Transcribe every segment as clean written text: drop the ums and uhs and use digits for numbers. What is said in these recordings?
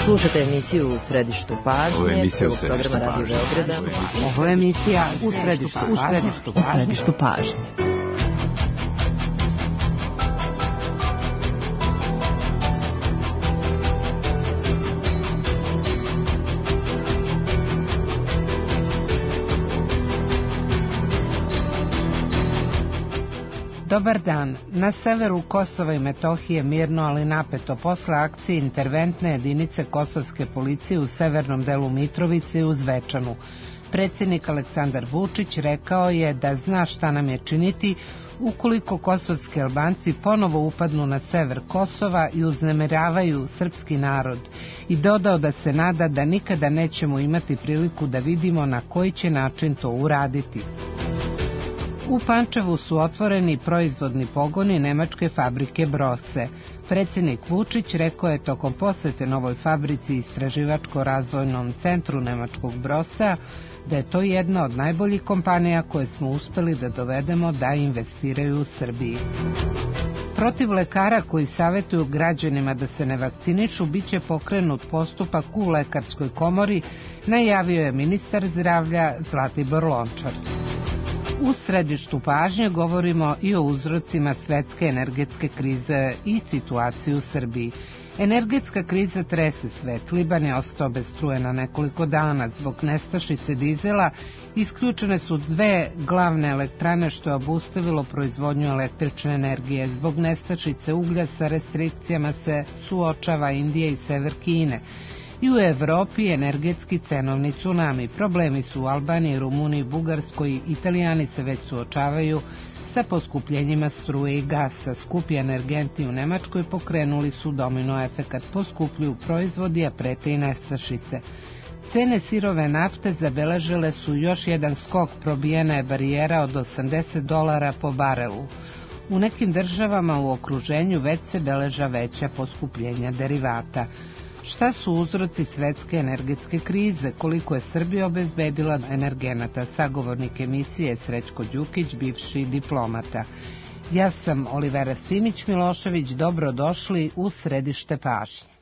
Slušate emisiju U središtu pažnje, prvog programa Radio Beograda. Ovo je emisija U središtu pažnje. Dobar dan. Na severu Kosova i Metohije mirno, ali napeto posle akcije interventne jedinice kosovske policije u severnom delu Mitrovice i u Zvečanu. Predsjednik Aleksandar Vučić rekao je da zna šta nam je činiti ukoliko kosovski Albanci ponovo upadnu na sever Kosova i uznemiravaju srpski narod i dodao da se nada da nikada nećemo imati priliku da vidimo na koji će način to uraditi. U Pančevu su otvoreni proizvodni pogoni nemačke fabrike Brose. Predsjednik Vučić rekao je tokom posete novoj fabrici i istraživačko-razvojnom centru nemačkog Brosa da je to jedna od najboljih kompanija koje smo uspeli da dovedemo da investiraju u Srbiji. Protiv lekara koji savjetuju građanima da se ne vakcinišu biće pokrenut postupak u Lekarskoj komori, najavio je ministar zdravlja Zlatibor Lončar. U središtu pažnje govorimo i o uzrocima svetske energetske krize i situaciji u Srbiji. Energetska kriza trese svet. Liban je ostao bez struje na nekoliko dana. Zbog nestašice dizela isključene su 2 glavne elektrane što je obustavilo proizvodnju električne energije. Zbog nestašice uglja sa restrikcijama se suočava Indija i sever Kine. I u Evropi energetski cenovni tsunami. Problemi su u Albaniji, Rumuniji, Bugarskoj. Italijani se već suočavaju sa poskupljenjima struje i gasa. Skupi energenti u Nemačkoj pokrenuli su domino efekat. Poskupljuju proizvodi, a prete i nestašice. Cene sirove nafte zabeležile su još jedan skok, probijena je barijera od $80 po barelu. U nekim državama u okruženju već se beleža veća poskupljenja derivata. Šta su uzroci svetske energetske krize? Koliko je Srbija obezbedila energenata? Sagovornik emisije Srećko Đukić, bivši diplomata. Ja sam Olivera Simić-Milošević, dobrodošli u središte pažnje.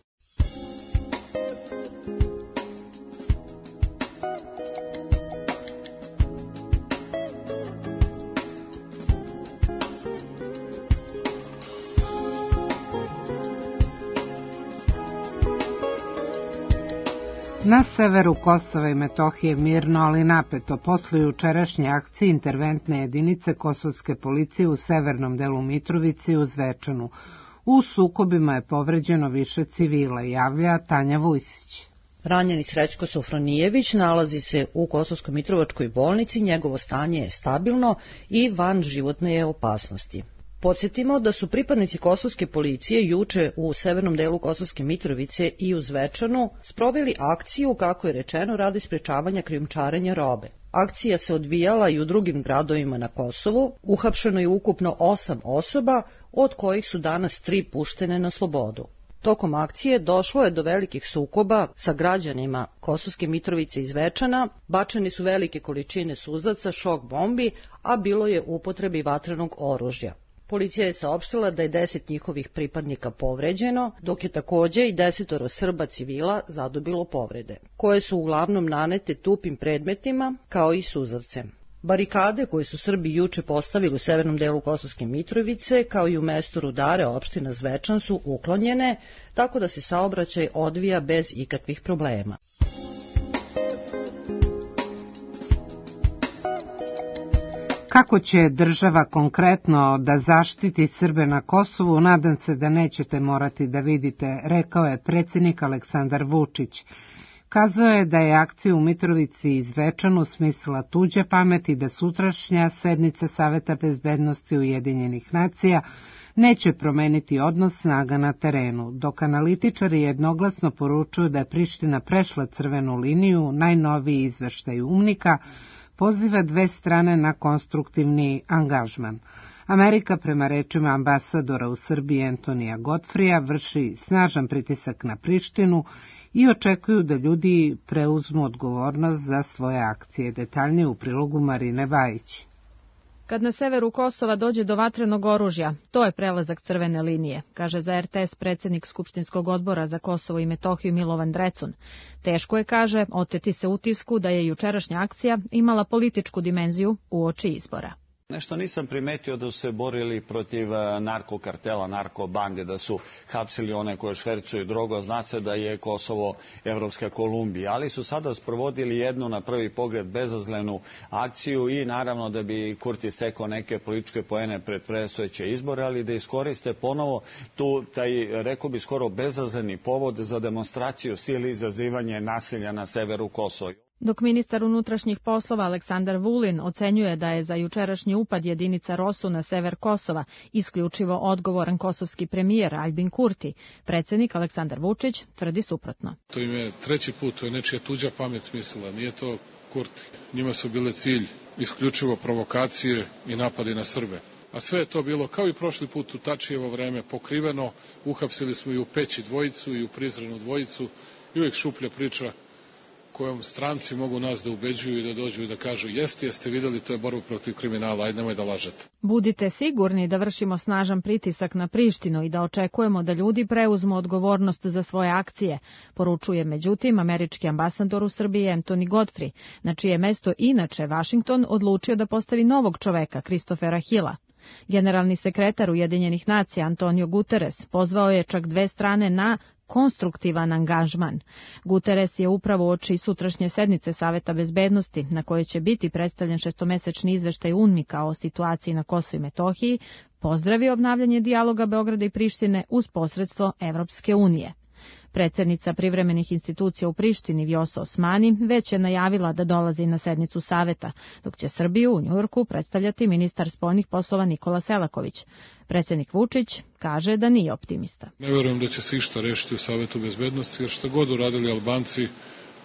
Na severu Kosova i Metohije mirno, ali napeto posle jučerašnje akcije interventne jedinice kosovske policije u severnom delu Mitrovice i u Zvečanu. U sukobima je povređeno više civila, javlja Tanja Vujsić. Ranjeni Srećko Sofronijević nalazi se u Kosovsko-Mitrovačkoj bolnici, njegovo stanje je stabilno i van životne je opasnosti. Podsjetimo da su pripadnici kosovske policije juče u severnom delu Kosovske Mitrovice i u Zvečanu sproveli akciju, kako je rečeno, radi sprečavanja krijumčarenja robe. Akcija se odvijala i u drugim gradovima na Kosovu, uhapšeno je ukupno 8 osoba, od kojih su danas 3 puštene na slobodu. Tokom akcije došlo je do velikih sukoba sa građanima Kosovske Mitrovice i Zvečana, bačene su velike količine suzavca, šok bombi, a bilo je u upotrebi vatrenog oružja. Policija je saopštila da je 10 njihovih pripadnika povređeno, dok je takođe i 10 Srba civila zadobilo povrede, koje su uglavnom nanete tupim predmetima kao i suzavcem. Barikade koje su Srbi juče postavili u severnom delu Kosovske Mitrovice, kao i u mestu Rudare, opština Zvečan, su uklonjene, tako da se saobraćaj odvija bez ikakvih problema. Kako će država konkretno da zaštiti Srbe na Kosovu, nadam se da nećete morati da vidite, rekao je predsjednik Aleksandar Vučić. Kazao je da je akcija u Mitrovici i Zvečanu smislila tuđe pamet i da sutrašnja sednica Saveta bezbednosti Ujedinjenih nacija neće promeniti odnos snaga na terenu, dok analitičari jednoglasno poručuju da je Priština prešla crvenu liniju. Najnoviji izveštaj UNMIK-a poziva 2 strane na konstruktivni angažman. Amerika, prema rečima ambasadora u Srbiji Antonija Godfrija, vrši snažan pritisak na Prištinu i očekuju da ljudi preuzmu odgovornost za svoje akcije. Detaljnije u prilogu Marine Bajić. Kad na severu Kosova dođe do vatrenog oružja, to je prelazak crvene linije, kaže za RTS predsjednik Skupštinskog odbora za Kosovo i Metohiju Milovan Drecun. Teško je, kaže, oteti se utisku da je jučerašnja akcija imala političku dimenziju uoči izbora. Nešto nisam primetio da su se borili protiv narkokartela, narkobande, da su hapsili one koje švercuju drogu. Zna se da je Kosovo Evropska Kolumbija, ali su sada sprovodili jednu na prvi pogled bezazlenu akciju i naravno da bi Kurti stekao neke političke poene pred predstojeće izbore, ali da iskoriste ponovo taj, rekao bi, skoro bezazleni povod za demonstraciju sile i izazivanje nasilja na severu Kosova. Dok ministar unutrašnjih poslova Aleksandar Vulin ocenjuje da je za jučerašnji upad jedinica ROSU na sever Kosova isključivo odgovoran kosovski premijer Aljbin Kurti, predsjednik Aleksandar Vučić tvrdi suprotno. To im je treći put, to je nečija tuđa pamet smislila, nije to Kurti. Njima su bile cilj isključivo provokacije i napadi na Srbe. A sve je to bilo kao i prošli put u Tačijevo vreme pokriveno, uhapsili smo i u Peći dvojicu i u Prizrenu dvojicu i uvijek šuplja priča kojom stranci mogu nas da ubeđuju i da dođu i da kažu jeste vidjeli, to je borba protiv kriminala, ajde nemoj da lažete. Budite sigurni da vršimo snažan pritisak na Prištinu i da očekujemo da ljudi preuzmu odgovornost za svoje akcije, poručuje međutim američki ambasador u Srbiji Anthony Godfrey, na čije mesto inače Vašington odlučio da postavi novog čoveka, Christophera Hilla. Generalni sekretar Ujedinjenih nacija Antonio Guterres pozvao je čak dve strane na konstruktivan angažman. Guterres je upravo uoči sutrašnje sednice Saveta bezbednosti, na kojoj će biti predstavljen šestomesečni izveštaj UNMIK-a o situaciji na Kosovu i Metohiji, pozdravio obnavljanje dijaloga Beograda i Prištine uz posredstvo Evropske unije. Predsjednica privremenih institucija u Prištini Vjosa Osmani već je najavila da dolazi na sednicu Saveta, dok će Srbiju u Njujorku predstavljati ministar spoljnih poslova Nikola Selaković. Predsjednik Vučić kaže da nije optimista. Ne vjerujem da će se išta rešiti u Savetu bezbednosti, jer što god uradili Albanci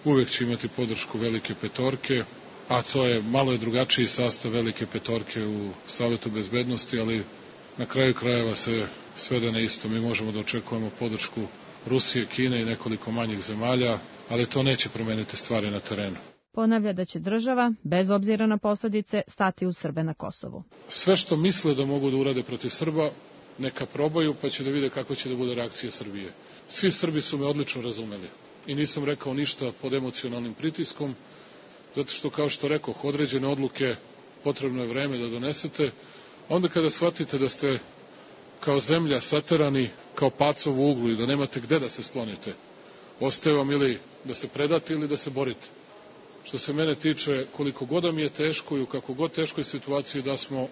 uvijek će imati podršku Velike petorke, a to je malo je drugačiji sastav Velike petorke u Savetu bezbednosti, ali na kraju krajeva se svede na isto. Mi možemo da očekujemo podršku Rusije, Kine i nekoliko manjih zemalja, ali to neće promeniti stvari na terenu. Ponavlja da će država, bez obzira na posljedice, stati uz Srbe na Kosovu. Sve što misle da mogu da urade protiv Srba, neka probaju, pa će da vide kako će da bude reakcija Srbije. Svi Srbi su me odlično razumeli i nisam rekao ništa pod emocionalnim pritiskom, zato što, kao što rekoh, određene odluke potrebno je vreme da donesete. Onda kada shvatite da ste kao zemlja saterani kao pacov u uglu i da nemate gde da se sklonite, ostaje vam ili da se predate ili da se borite. Što se mene tiče, koliko god mi je teško i u kako god teškoj situaciji da smo,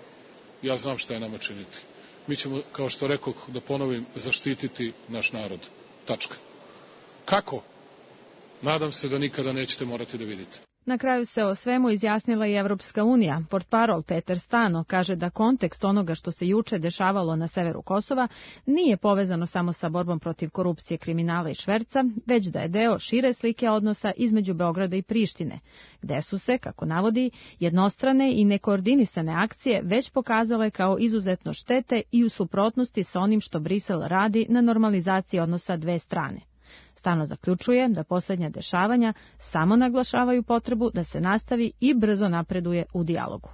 ja znam šta je nama činiti. Mi ćemo, kao što rekoh, da ponovim, zaštititi naš narod. Tačka. Kako? Nadam se da nikada nećete morati da vidite. Na kraju se o svemu izjasnila i Evropska unija. Portparol Peter Stano kaže da kontekst onoga što se juče dešavalo na severu Kosova nije povezano samo sa borbom protiv korupcije, kriminala i šverca, već da je deo šire slike odnosa između Beograda i Prištine, gde su se, kako navodi, jednostrane i nekoordinisane akcije već pokazale kao izuzetno štete i u suprotnosti sa onim što Brisel radi na normalizaciji odnosa dve strane. Stano zaključuje da posljednja dešavanja samo naglašavaju potrebu da se nastavi i brzo napreduje u dijalogu.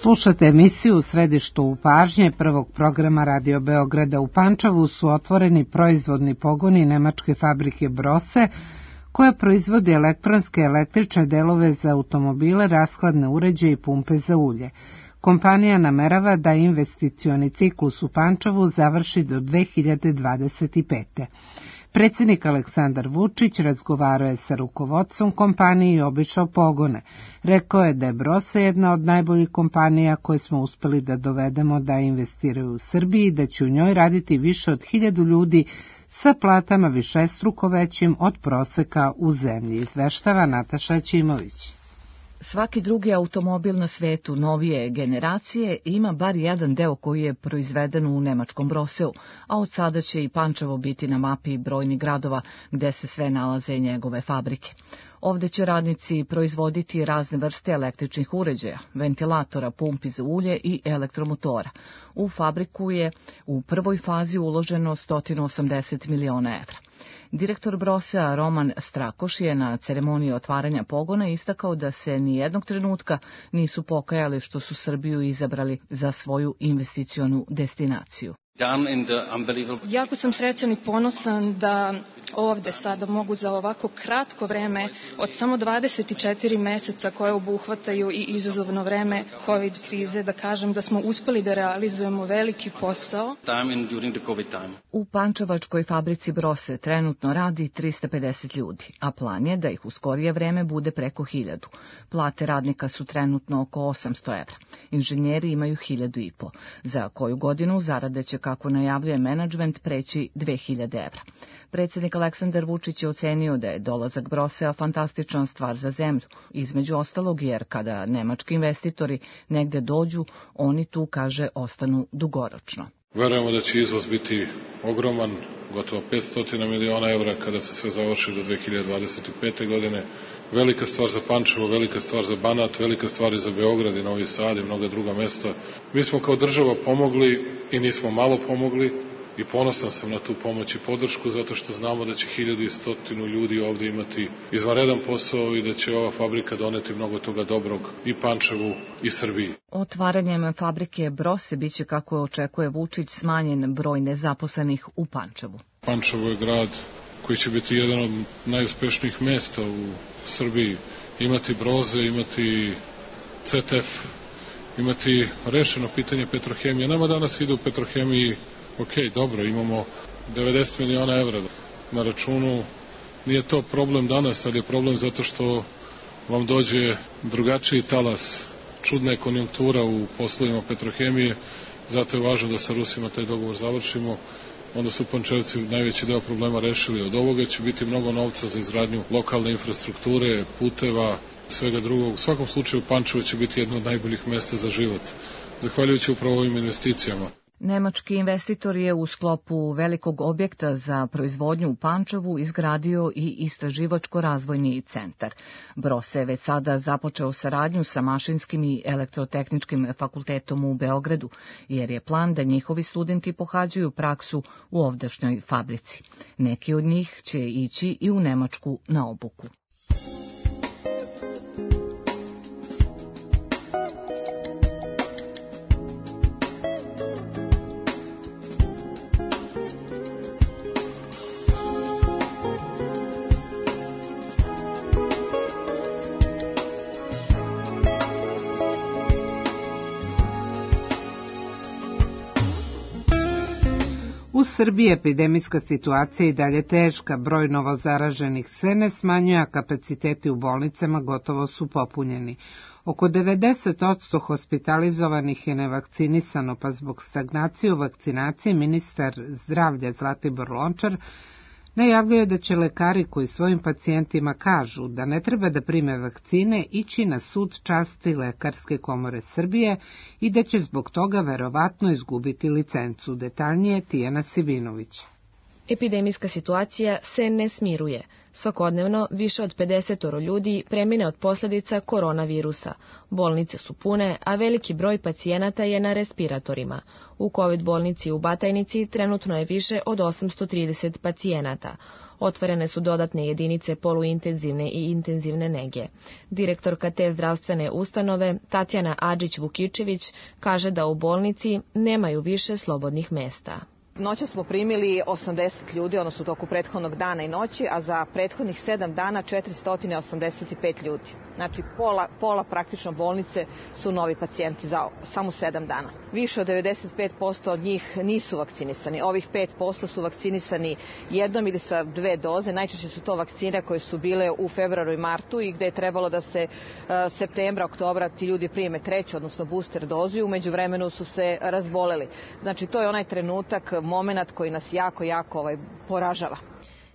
Slušate emisiju U središtu pažnje prvog programa Radio Beograda. U Pančevu su otvoreni proizvodni pogoni nemačke fabrike Brose, koja proizvodi elektronske električne delove za automobile, rashladne uređaje i pumpe za ulje. Kompanija namerava da investicioni ciklus u Pančevu završi do 2025. Predsjednik Aleksandar Vučić razgovarao je sa rukovodstvom kompanije i obišao pogone. Rekao je da je Brose jedna od najboljih kompanija koje smo uspeli da dovedemo da investiraju u Srbiji i da će u njoj raditi više od 1000 ljudi sa platama višestruko većim od proseka u zemlji, izveštava Nataša Ćimović. Svaki drugi automobil na svetu novije generacije ima bar jedan deo koji je proizveden u nemačkom Broseu, a od sada će i Pančevo biti na mapi brojnih gradova gde se sve nalaze njegove fabrike. Ovde će radnici proizvoditi razne vrste električnih uređaja, ventilatora, pumpi za ulje i elektromotora. U fabriku je u prvoj fazi uloženo 180 miliona evra. Direktor Brosea Roman Strakoš je na ceremoniji otvaranja pogona istakao da se nijednog trenutka nisu pokajali što su Srbiju izabrali za svoju investicionu destinaciju. Jako sam srećan i ponosan da ovde sada mogu za ovako kratko vreme, od samo 24 meseca koje obuhvataju i izazovno vreme COVID krize, da kažem da smo uspeli da realizujemo veliki posao. U pančevačkoj fabrici Brose trenutno radi 350 ljudi, a plan je da ih u skorije vreme bude preko 1000. Plate radnika su trenutno oko 800 evra. Inženjeri imaju 1500. Za koju godinu zarade će, kako najavljuje menadžment, preći 2000 evra. Predsjednik Aleksandar Vučić je ocenio da je dolazak Brosea fantastična stvar za zemlju, između ostalog jer kada nemački investitori negde dođu, oni tu, kaže, ostanu dugoročno. Verujemo da će izvoz biti ogroman, gotovo 500 miliona evra kada se sve završi do 2025. godine. Velika stvar za Pančevo, velika stvar za Banat, velika stvar i za Beograd i Novi Sad i mnoga druga mesta. Mi smo kao država pomogli i nismo malo pomogli i ponosan sam na tu pomoć i podršku zato što znamo da će 1100 ljudi ovde imati izvanredan posao i da će ova fabrika doneti mnogo toga dobrog i Pančevu i Srbiji. Otvaranjem fabrike Brose biće, kako očekuje Vučić, smanjen broj nezaposlenih u Pančevu. Pančevo je grad koji će biti jedan od najuspešnijih mesta u Srbiji. Imati Broze, imati CTF, imati rešeno pitanje Petrohemije. Nama danas ide u Petrohemiji, ok, dobro, imamo 90 miliona evra na računu. Nije to problem danas, ali je problem zato što vam dođe drugačiji talas, čudna je konjunktura u poslovima Petrohemije, zato je važno da sa Rusima taj dogovor završimo. Onda su Pančevci najveći deo problema rešili. Od ovoga će biti mnogo novca za izgradnju lokalne infrastrukture, puteva, svega drugog. U svakom slučaju Pančevo će biti jedno od najboljih mesta za život, zahvaljujući upravo ovim investicijama. Nemački investitor je u sklopu velikog objekta za proizvodnju u Pančevu izgradio i istraživačko-razvojni centar. Brose je već sada započeo saradnju sa Mašinskim i elektrotehničkim fakultetom u Beogradu, jer je plan da njihovi studenti pohađaju praksu u ovdašnjoj fabrici. Neki od njih će ići i u Nemačku na obuku. U Srbiji epidemijska situacija i dalje teška, broj novozaraženih se ne smanjuje, a kapaciteti u bolnicama gotovo su popunjeni. Oko 90% hospitalizovanih je nevakcinisano, pa zbog stagnacije u vakcinaciji ministar zdravlja Zlatibor Lončar najavljuje da će lekari koji svojim pacijentima kažu da ne treba da prime vakcine ići na sud časti Lekarske komore Srbije i da će zbog toga verovatno izgubiti licencu. Detaljnije Tijana Sivinović. Epidemijska situacija se ne smiruje. Svakodnevno više od 50 ljudi premine od posljedica koronavirusa. Bolnice su pune, a veliki broj pacijenata je na respiratorima. U COVID bolnici u Batajnici trenutno je više od 830 pacijenata. Otvorene su dodatne jedinice poluintenzivne i intenzivne nege. Direktorka te zdravstvene ustanove, Tatjana Adžić-Vukičević, kaže da u bolnici nemaju više slobodnih mesta. Noća smo primili 80 ljudi, odnosno u toku prethodnog dana i noći, a za prethodnih 7 dana 485 ljudi. Znači pola praktično bolnice su novi pacijenti za samo 7 dana. Više od 95% od njih nisu vakcinisani. Ovih 5% su vakcinisani jednom ili sa 2 doze. Najčešće su to vakcine koje su bile u februaru i martu i gde je trebalo da se septembra, oktobra ti ljudi prime treću, odnosno booster dozu i umeđu vremenu su se razboleli. Znači to je onaj trenutak, moment koji nas jako poražava.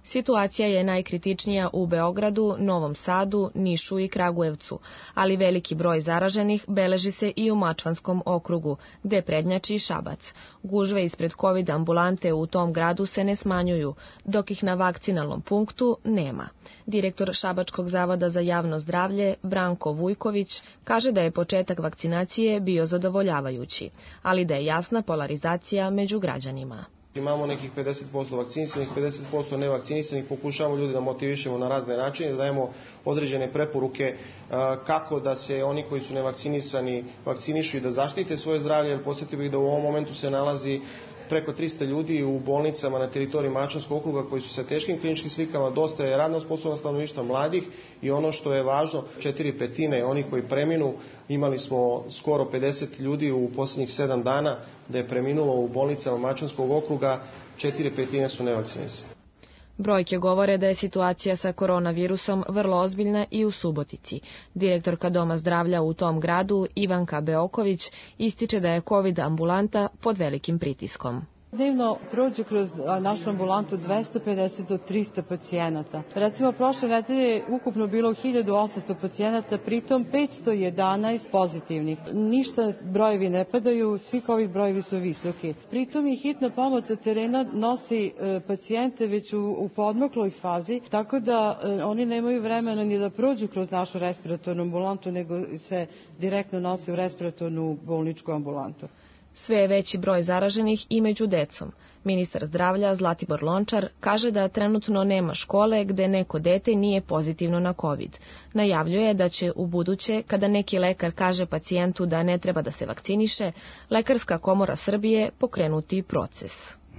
Situacija je najkritičnija u Beogradu, Novom Sadu, Nišu i Kragujevcu, ali veliki broj zaraženih beleži se i u Mačvanskom okrugu, gde prednjači Šabac. Gužve ispred COVID ambulante u tom gradu se ne smanjuju, dok ih na vakcinalnom punktu nema. Direktor Šabačkog zavoda za javno zdravlje, Branko Vujković, kaže da je početak vakcinacije bio zadovoljavajući, ali da je jasna polarizacija među građanima. Imamo nekih 50% vakcinisanih, 50% nevakcinisanih, pokušavamo ljudi da motivišemo na razne načine, da dajemo određene preporuke kako da se oni koji su nevakcinisani vakcinišu i da zaštite svoje zdravlje, jer posjetio bih da u ovom momentu se nalazi preko 300 ljudi u bolnicama na teritoriji Mačvanskog okruga koji su sa teškim kliničkim slikama, dosta je radno sposobno stanovništva mladih i ono što je važno, 4/5 oni koji preminu, imali smo skoro 50 ljudi u posljednjih 7 dana da je preminulo u bolnicama Mačvanskog okruga, 4/5 su nevakcinisani. Brojke govore da je situacija sa koronavirusom vrlo ozbiljna i u Subotici. Direktorka Doma zdravlja u tom gradu, Ivanka Beoković, ističe da je COVID ambulanta pod velikim pritiskom. Dnevno prođe kroz našu ambulantu 250 do 300 pacijenata. Recimo, prošle nedelje je ukupno bilo 1800 pacijenata, pritom 511 pozitivnih. Ništa brojevi ne padaju, svi COVID brojevi su visoki. Pritom i hitna pomoć sa terena nosi pacijente već u podmokloj fazi, tako da oni nemaju vremena ni da prođu kroz našu respiratornu ambulantu, nego se direktno nose u respiratornu bolničku ambulantu. Sve je veći broj zaraženih i među decom. Ministar zdravlja Zlatibor Lončar kaže da trenutno nema škole gde neko dete nije pozitivno na COVID. Najavljuje da će u buduće, kada neki lekar kaže pacijentu da ne treba da se vakciniše, Lekarska komora Srbije pokrenuti proces.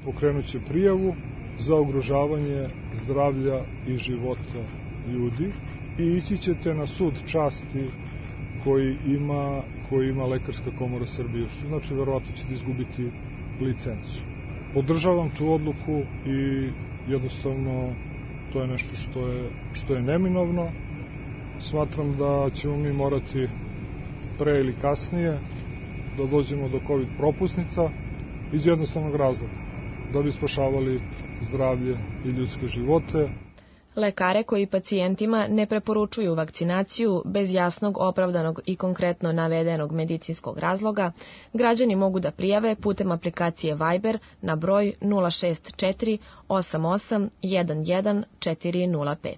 Pokrenut će prijavu za ugrožavanje zdravlja i života ljudi i ići ćete na sud časti koji ima Lekarska komora Srbije, što znači verovatno ćete izgubiti licencu. Podržavam tu odluku i jednostavno to je nešto što je neminovno. Smatram da ćemo mi morati pre ili kasnije da dođemo do COVID propusnica iz jednostavnog razloga, da bi spašavali zdravlje i ljudske živote. Lekare koji pacijentima ne preporučuju vakcinaciju bez jasnog, opravdanog i konkretno navedenog medicinskog razloga, građani mogu da prijave putem aplikacije Viber na broj 064 88 11 405.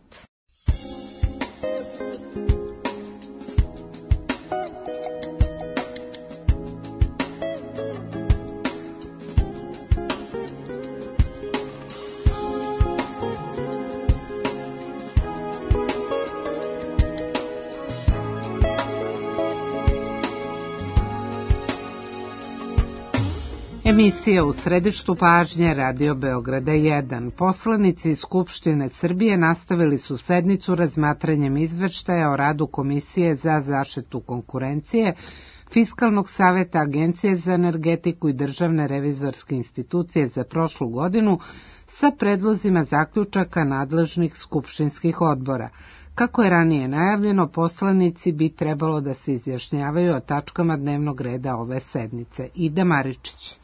Emisija u središtu pažnje Radio Beograda 1. Poslanici Skupštine Srbije nastavili su sednicu razmatranjem izveštaja o radu Komisije za zaštitu konkurencije, Fiskalnog saveta, Agencije za energetiku i Državne revizorske institucije za prošlu godinu sa predlozima zaključaka nadležnih skupštinskih odbora. Kako je ranije najavljeno, poslanici bi trebalo da se izjašnjavaju o tačkama dnevnog reda ove sednice. Ida Maričić.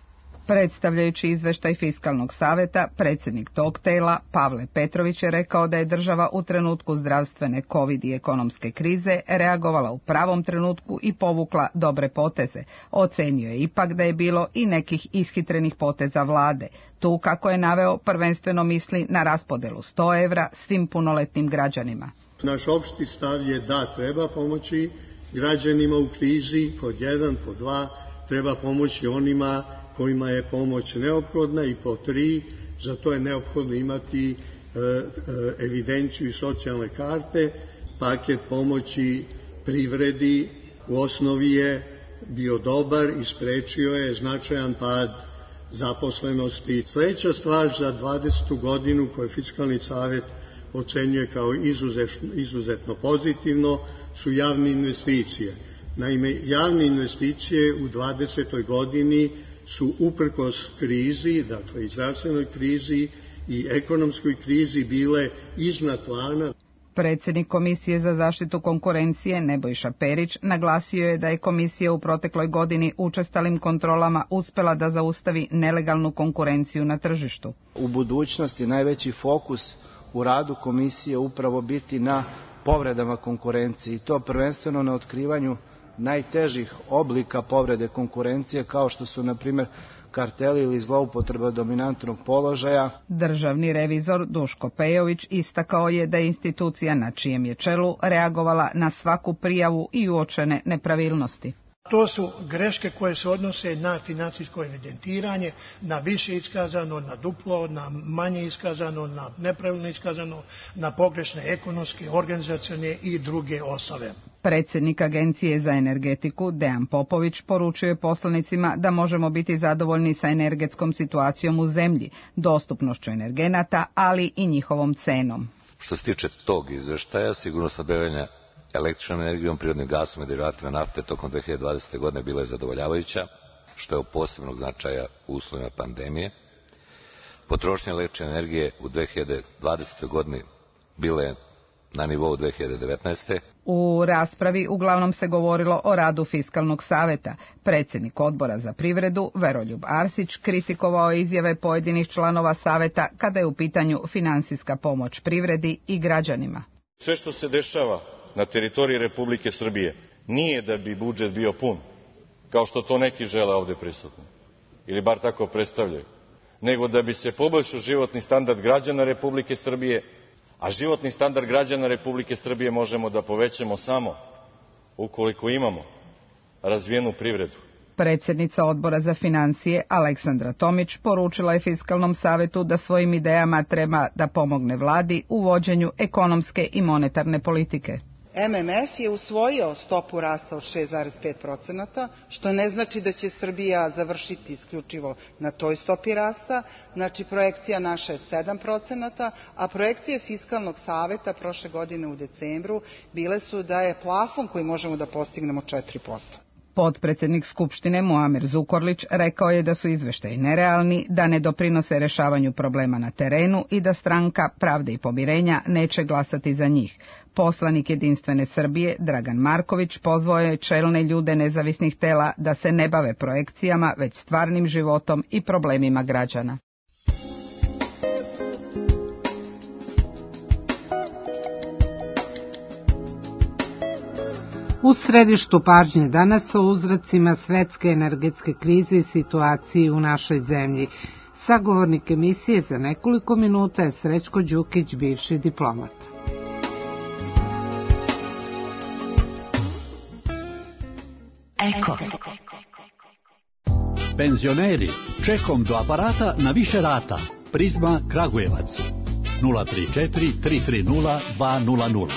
Predstavljajući izveštaj Fiskalnog saveta, predsjednik tog tela, Pavle Petrović, je rekao da je država u trenutku zdravstvene COVID i ekonomske krize reagovala u pravom trenutku i povukla dobre poteze. Ocenio je ipak da je bilo i nekih ishitrenih poteza vlade. Tu, kako je naveo, prvenstveno misli na raspodelu 100 evra svim punoletnim građanima. Naš opšti stav je da treba pomoći građanima u krizi, pod 1, pod 2, treba pomoći onima kojima je pomoć neophodna i po 3, za to je neophodno imati evidenciju i socijalne karte. Paket pomoći privredi u osnovi je bio dobar i sprečio je značajan pad zaposlenosti. Sljedeća stvar za 20. godinu koju Fiskalni savet ocenjuje kao izuzetno pozitivno su javne investicije. Naime, javne investicije u 20. godini su uprkos krizi, dakle i zdravstvenoj krizi i ekonomskoj krizi, bile iznad plana. Predsjednik Komisije za zaštitu konkurencije Nebojša Perić naglasio je da je komisija u protekloj godini učestalim kontrolama uspela da zaustavi nelegalnu konkurenciju na tržištu. U budućnosti najveći fokus u radu komisije upravo biti na povredama konkurencije i to prvenstveno na otkrivanju najtežih oblika povrede konkurencije kao što su, na primjer, karteli ili zloupotreba dominantnog položaja. Državni revizor Duško Pejović istakao je da je institucija na čijem je čelu reagovala na svaku prijavu i uočene nepravilnosti. To su greške koje se odnose na financijsko evidentiranje, na više iskazano, na duplo, na manje iskazano, na nepravilno iskazano, na pogrešne ekonomske, organizacione i druge osnove. Predsjednik Agencije za energetiku Dejan Popović poručuje poslanicima da možemo biti zadovoljni sa energetskom situacijom u zemlji, dostupnošću energenata, ali i njihovom cenom. Što se tiče tog izveštaja, sigurno snabdevanja električnom energijom, prirodnim gasom i derivatima nafte tokom 2020. godine bila je zadovoljavajuća, što je od posebnog značaja u uslovima pandemije. Potrošnja električne energije u 2020. godini bila je na nivou 2019. U raspravi uglavnom se govorilo o radu Fiskalnog saveta. Predsjednik Odbora za privredu, Veroljub Arsić, kritikovao izjave pojedinih članova saveta kada je u pitanju finansijska pomoć privredi i građanima. Sve što se dešava na teritoriji Republike Srbije nije da bi budžet bio pun, kao što to neki žele ovde prisutni, ili bar tako predstavljaju, nego da bi se poboljšao životni standard građana Republike Srbije, a životni standard građana Republike Srbije možemo da povećamo samo ukoliko imamo razvijenu privredu. Predsjednica Odbora za financije Aleksandra Tomić poručila je Fiskalnom savetu da svojim idejama treba da pomogne vladi u vođenju ekonomske i monetarne politike. MMF je usvojio stopu rasta od 6,5%, što ne znači da će Srbija završiti isključivo na toj stopi rasta. Znači, projekcija naša je 7%, a projekcije Fiskalnog saveta prošle godine u decembru bile su da je plafon koji možemo da postignemo 4%. Potpredsjednik Skupštine Muamer Zukorlić rekao je da su izveštaji nerealni, da ne doprinose rešavanju problema na terenu i da stranka Pravde i pomirenja neće glasati za njih. Poslanik Jedinstvene Srbije Dragan Marković pozvao je čelne ljude nezavisnih tela da se ne bave projekcijama, već stvarnim životom i problemima građana. U središtu pažnje danas o uzrocima svetske energetske krize i situaciji u našoj zemlji. Sagovornik emisije za nekoliko minuta je Srećko Đukić, bivši diplomat. Eko. Penzioneri, čekom do aparata na više rata. Prizma Kragujevac 034 330 200.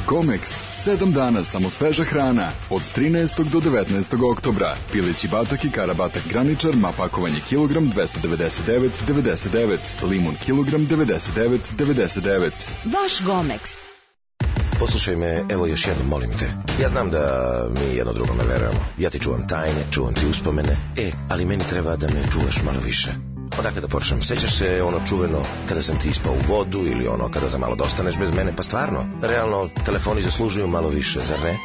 Comex, 7 dana samo sveža hrana, od 13. do 19. oktobra. Pileći batak i karabatak graničar, ma pakovanje kilogram 299,99, limun kilogram 99,99. Vaš Gomex. Poslušaj me, evo još jednom, molim te. Ja znam da mi jedno drugome verujemo. Ja ti čuvam tajne, čuvam ti uspomene. Ali meni treba da me čuvaš malo više. Odakle da počnem? Sećaš se ono čuveno kada sam ti ispao u vodu ili ono kada za malo dostaneš bez mene? Pa stvarno, realno, telefoni zaslužuju malo više, zar ne?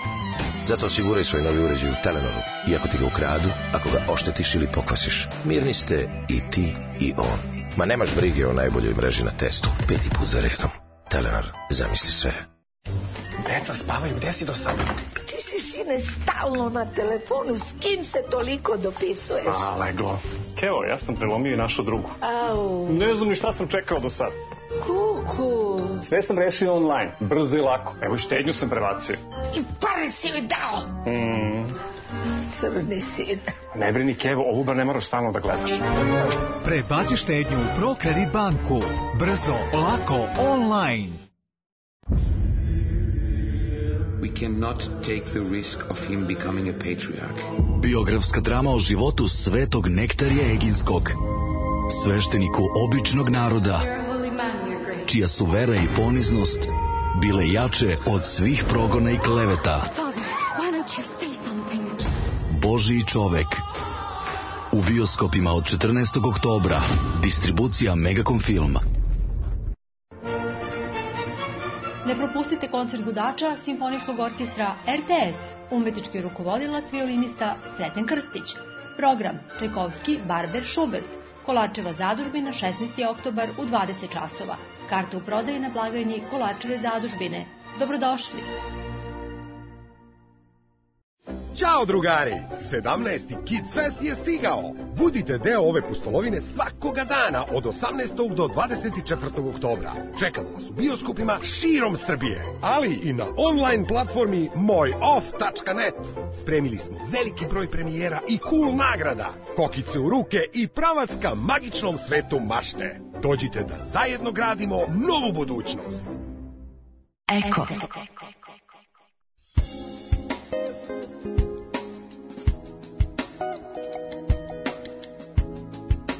Zato osiguraj svoj novi uređaj u Telenoru. I ako ti ga ukradu, ako ga oštetiš ili pokvasiš, mirni ste i ti i on. Ma nemaš brige o najboljoj mreži na testu. 5. put za redom. Telenor, zamisli sve. Deca spavaju, gde si do sada? Ti si, sine, stalno na telefonu, s kim se toliko dopisuješ? Leglo. Kevo, ja sam prelomio i našu drugu. Au. Ne znam ni šta sam čekao do sada. Kuku. Sve sam rešio online, brzo i lako. Evo i štednju sam prebacio. I pare si joj dao. Crni sin. Ne brini, Kevo, ovu bar ne moraš stalno da gledaš. Prebaci štednju u ProKredit banku. Brzo, lako, online. We cannot take the risk of him becoming a patriarch. Biografska drama o životu svetog Nektarija Eginskog, svešteniku običnog naroda, čija su vera i poniznost bile jače od svih progona i kleveta. Božji čovek. U bioskopima od 14. oktobra. Distribucija Megacom Film. Ne propustite koncert gudača Simfonijskog orkestra RTS, umetnički rukovodilac violinista Sreten Krstić. Program Čajkovski, Barber, Schubert, Kolarčeva zadužbina 16. oktobar u 20 časova. Karte u prodaji na blagajni Kolarčeve zadužbine. Dobrodošli! Ćao drugari! 17. Kids Fest je stigao! Budite deo ove pustolovine svakoga dana od 18. do 24. oktobra. Čekamo vas u bioskopima širom Srbije, ali i na online platformi mojoff.net. Spremili smo veliki broj premijera i cool nagrada, kokice u ruke i pravac ka magičnom svetu mašte. Dođite da zajedno gradimo novu budućnost. Eko.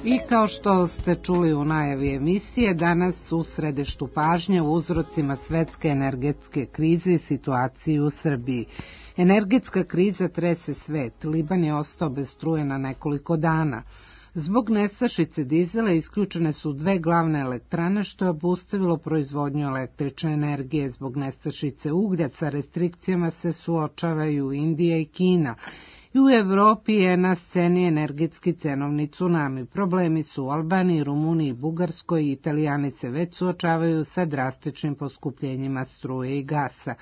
I kao što ste čuli u najavi emisije, danas u središtu pažnje u uzrocima svetske energetske krize i situaciji u Srbiji. Energetska kriza trese svet. Liban je ostao bez struje na nekoliko dana. Zbog nestašice dizela isključene su 2 glavne elektrane, što je obustavilo proizvodnju električne energije. Zbog nestašice uglja sa restrikcijama se suočavaju Indija i Kina. I u Evropi je na sceni energetski cenovni tsunami. Problemi su u Albaniji, Rumuniji, Bugarskoj i Italijani se već suočavaju sa drastičnim poskupljenjima struje i gasa.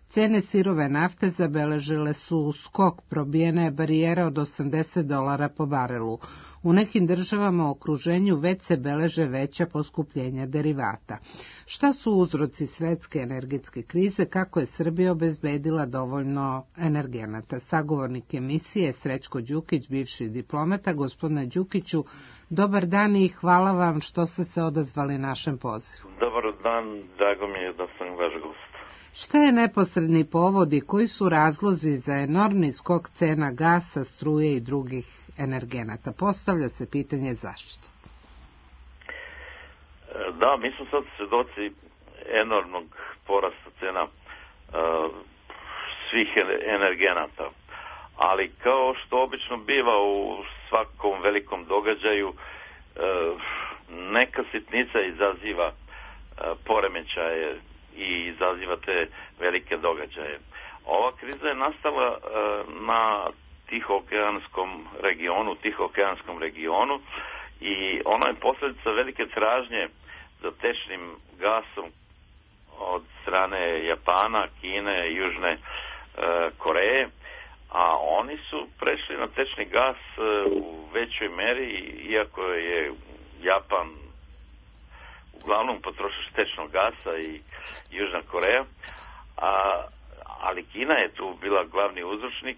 Cene sirove nafte zabeležile su skok, probijena je barijera od $80 po barelu. U nekim državama u okruženju već se beleže veća poskupljenja derivata. Šta su uzroci svetske energetske krize, kako je Srbija obezbedila dovoljno energenata? Sagovornik emisije Srećko Đukić, bivši diplomata. Gospodine Đukiću, dobar dan i hvala vam što ste se odazvali našem pozivu. Dobar dan, drago mi je da sam vaš gost. Šta je neposredni povod i koji su razlozi za enormni skok cena gasa, struje i drugih energenata? Postavlja se pitanje zašto. Da, mi smo sad svedoci enormnog porasta cena svih energenata. Ali kao što obično biva u svakom velikom događaju, neka sitnica izaziva poremećaje i izaziva te velike događaje. Ova kriza je nastala na Tihookeanskom regionu i ona je posljedica velike tražnje za tečnim gasom od strane Japana, Kine i Južne Koreje, a oni su prešli na tečni gas u većoj meri, iako je Japan uglavnom potrošač tečnog gasa i Južna Koreja, ali Kina je tu bila glavni uzročnik.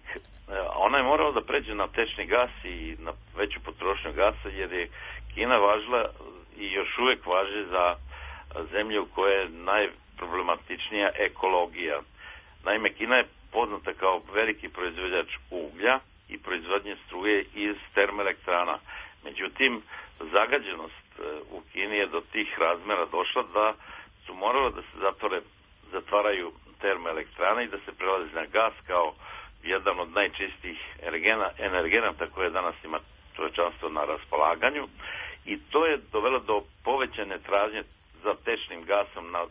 Ona je morala da pređe na tečni gas i na veću potrošnju gasa, jer je Kina važila i još uvek važi za zemlje u kojoj je najproblematičnija ekologija. Naime, Kina je poznata kao veliki proizvođač uglja i proizvodnje struje iz termoelektrana. Međutim, zagađenost u Kini je do tih razmera došla da su morale da se zatvaraju termoelektrane i da se prelazi na gas kao jedan od najčistijih energenata koje danas ima čovečanstvo na raspolaganju, i to je dovelo do povećane tražnje za tečnim gasom na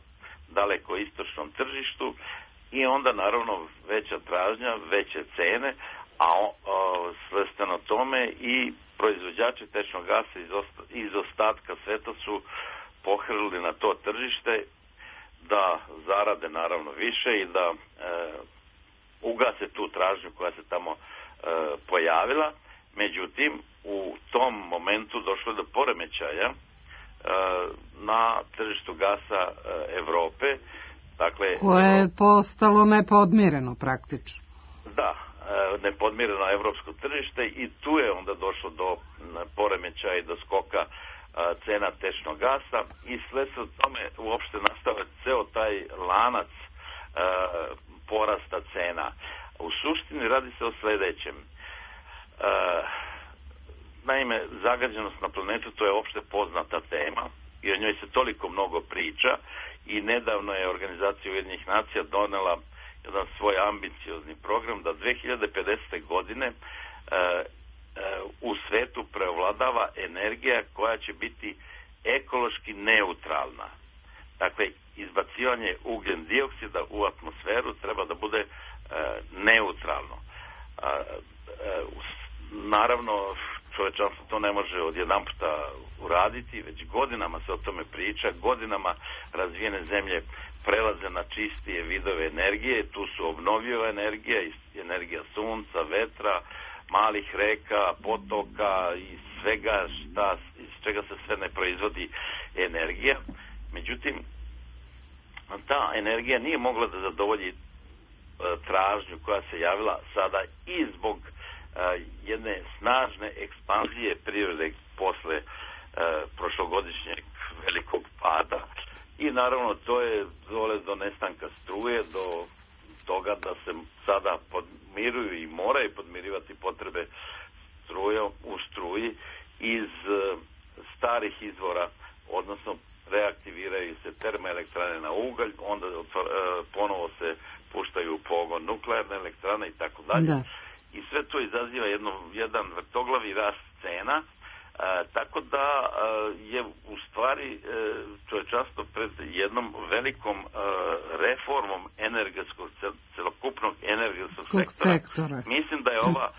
daleko istočnom tržištu i onda naravno veća tražnja, veće cene, a svestano tome i proizvođači tečnog gasa iz ostatka sveta su pohrlili na to tržište da zarade naravno više i da ugase tu tražnju koja se tamo pojavila. Međutim, u tom momentu došlo je do poremećaja na tržištu gasa Evrope. Dakle, koje je postalo nepodmireno praktično. Da, nepodmireno evropsko tržište, i tu je onda došlo do poremećaja i do skoka cena tečnog gasa i sve se od tome uopšte nastava ceo taj lanac porasta cena. U suštini radi se o sledećem. Naime, zagađenost na planetu, to je opšte poznata tema i o njoj se toliko mnogo priča, i nedavno je Organizacija Ujedinjenih nacija donela jedan svoj ambiciozni program da 2050. godine u svetu preovladava energija koja će biti ekološki neutralna. Dakle, izbacivanje ugljen dioksida u atmosferu treba da bude neutralno. Naravno, čovečanstvo to ne može odjedan puta uraditi, već godinama se o tome priča, godinama razvijene zemlje prelaze na čistije vidove energije, tu su obnovljiva energija, energija sunca, vetra, malih reka, potoka i svega iz čega se sve ne proizvodi energija. Međutim, ta energija nije mogla da zadovolji tražnju koja se javila sada i zbog jedne snažne ekspanzije privrede posle prošlogodišnjeg velikog pada i naravno to je dole do nestanka struje, do toga da se sada podmiruju i moraju podmirivati potrebe u struji iz starih izvora, odnosno reaktiviraju se termoelektrane na ugalj, onda ponovo se puštaju u pogon nuklearne elektrane i tako dalje. I sve to izaziva jedan vrtoglavi rast cena, tako da je u stvari čovečanstvo pred jednom velikom reformom celokupnog energetskog sektora. Mislim da je ova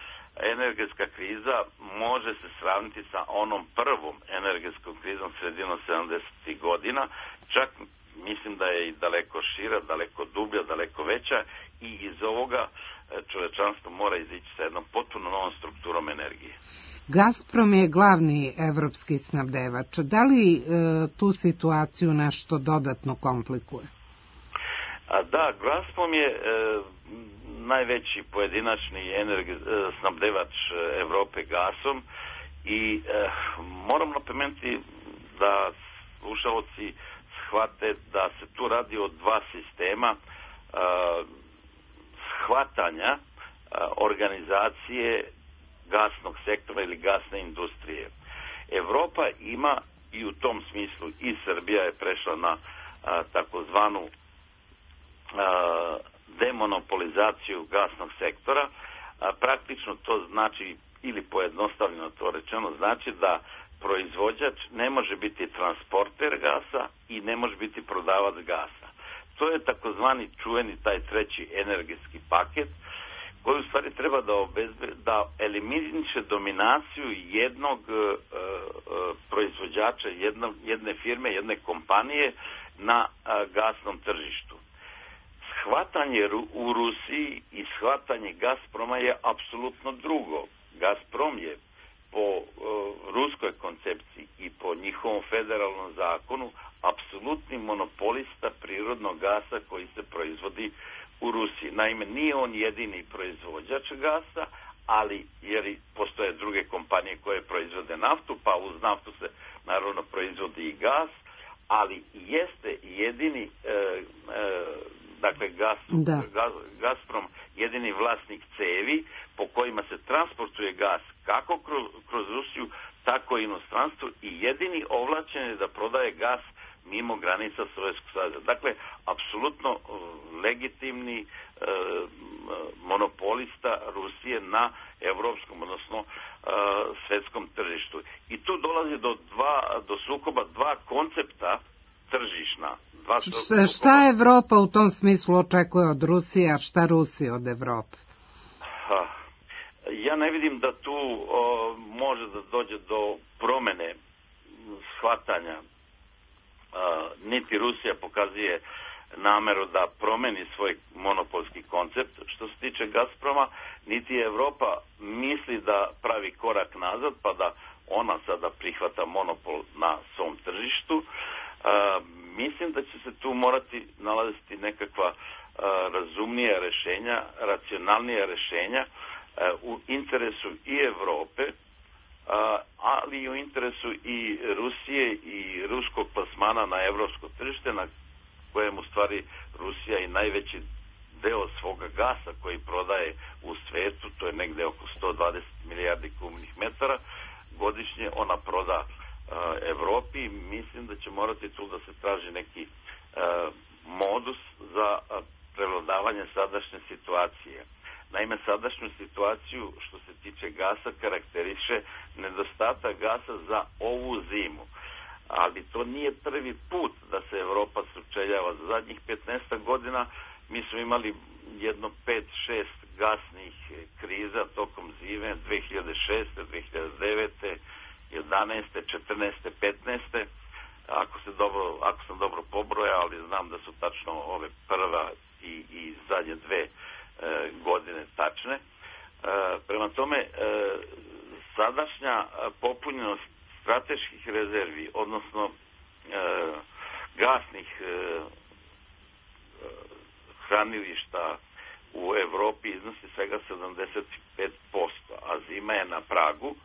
energetska kriza može se sravniti sa onom prvom energetskom krizom sredinom 70. godina, čak mislim da je i daleko šira, daleko dublja, daleko veća i iz ovoga čovečanstvo mora izići sa jednom potpuno novom strukturom energije. Gazprom je glavni evropski snabdevač. Da li tu situaciju nešto dodatno komplikuje? Da, Gazprom je najveći pojedinačni snabdevač Evrope gasom i moram napomenuti da slušalci shvate da se tu radi o dva sistema shvatanja organizacije gasnog sektora ili gasne industrije. Evropa ima i u tom smislu i Srbija je prešla na takozvanu demonopolizaciju gasnog sektora. Praktično to znači, ili pojednostavljeno to rečeno, znači da proizvođač ne može biti transporter gasa i ne može biti prodavac gasa. To je takozvani čuveni taj treći energetski paket koji u stvari treba da eliminiše dominaciju jednog proizvođača, jedne firme, jedne kompanije na gasnom tržištu. Shvatanje u Rusiji i shvatanje Gazproma je apsolutno drugo. Gazprom je po ruskoj koncepciji i po njihovom federalnom zakonu apsolutni monopolista prirodnog gasa koji se proizvodi u Rusiji. Naime, nije on jedini proizvođač gasa, ali jer postoje druge kompanije koje proizvode naftu, pa uz naftu se naravno proizvodi i gas, ali jeste jedini dakle Gazprom jedini vlasnik cevi po kojima se transportuje gas kako kroz Rusiju, tako i inostranstvo i jedini ovlašćen je da prodaje gas mimo granica Sovjetskog saveza. Dakle, apsolutno legitimni monopolista Rusije na evropskom, odnosno svetskom tržištu. I tu dolazi do sukoba dva koncepta tržišna. Šta Evropa u tom smislu očekuje od Rusije, a šta Rusija od Evrope? Ja ne vidim da tu može da dođe do promene shvatanja. Niti Rusija pokazuje nameru da promeni svoj monopolski koncept što se tiče Gazproma, niti Evropa misli da pravi korak nazad pa da ona sada prihvata monopol na svom tržištu. Mislim da će se tu morati nalaziti nekakva razumnija rešenja, racionalnija rešenja u interesu i Evrope, ali i u interesu i Rusije i ruskog plasmana na evropsko tržište, na kojem u stvari Rusija i najveći deo svoga gasa koji prodaje u svetu, to je negde oko 120 milijardi kubnih metara godišnje, ona proda Evropi. Mislim da će morati tu da se traži neki modus za prevladavanje sadašnje situacije. Naime, sadašnju situaciju što se tiče gasa karakteriše nedostatak gasa za ovu zimu. Ali to nije prvi put da se Evropa sučeljava. Za zadnjih 15 godina mi smo imali jedno 5-6 gasnih kriza tokom zime 2006. 2009. 11. 14. 15. Ako sam dobro pobrojao, ali znam da su tačno ove prva i zadnje dve godine tačne. Prema tome, sadašnja popunjenost strateških rezervi, odnosno gasnih hranilišta u Evropi iznosi svega 75%, a zima je na pragu.